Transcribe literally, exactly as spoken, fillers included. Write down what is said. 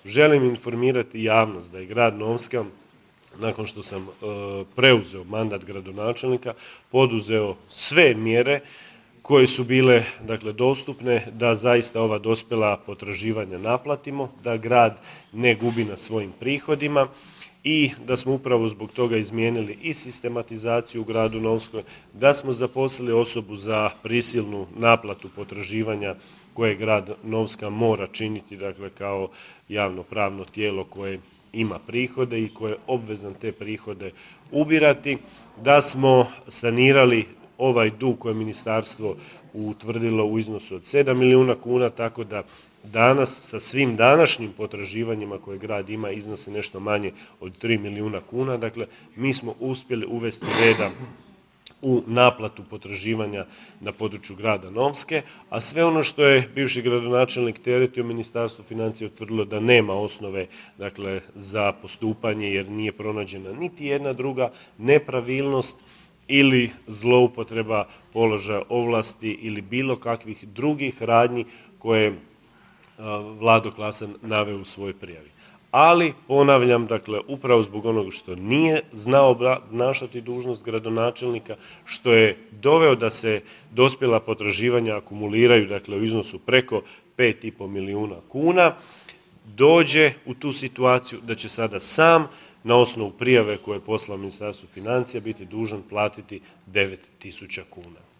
želim informirati javnost da je grad Novska, nakon što sam e, preuzeo mandat gradonačelnika, poduzeo sve mjere koje su bile dakle, dostupne da zaista ova dospjela potraživanja naplatimo, da grad ne gubi na svojim prihodima i da smo upravo zbog toga izmijenili i sistematizaciju u gradu Novskoj, da smo zaposlili osobu za prisilnu naplatu potraživanja koje grad Novska mora činiti, dakle kao javnopravno tijelo koje ima prihode i koje je obvezan te prihode ubirati, da smo sanirali ovaj dug koje je ministarstvo utvrdilo u iznosu od sedam milijuna kuna, tako da danas sa svim današnjim potraživanjima koje grad ima iznose nešto manje od tri milijuna kuna. Dakle, mi smo uspjeli uvesti reda u naplatu potraživanja na području grada Novske, a sve ono što je bivši gradonačelnik teretio, Ministarstvo financija utvrdilo da nema osnove dakle, za postupanje jer nije pronađena niti jedna druga nepravilnost ili zloupotreba položaja ovlasti ili bilo kakvih drugih radnji koje je Vlado Klasan naveo u svojoj prijavi. Ali, ponavljam, dakle, upravo zbog onoga što nije znao obnašati dužnost gradonačelnika, što je doveo da se dospjela potraživanja akumuliraju, dakle, u iznosu preko pet i pol milijuna kuna, dođe u tu situaciju da će sada sam na osnovu prijave koje je poslao Ministarstvu financija biti dužan platiti devet tisuća kuna.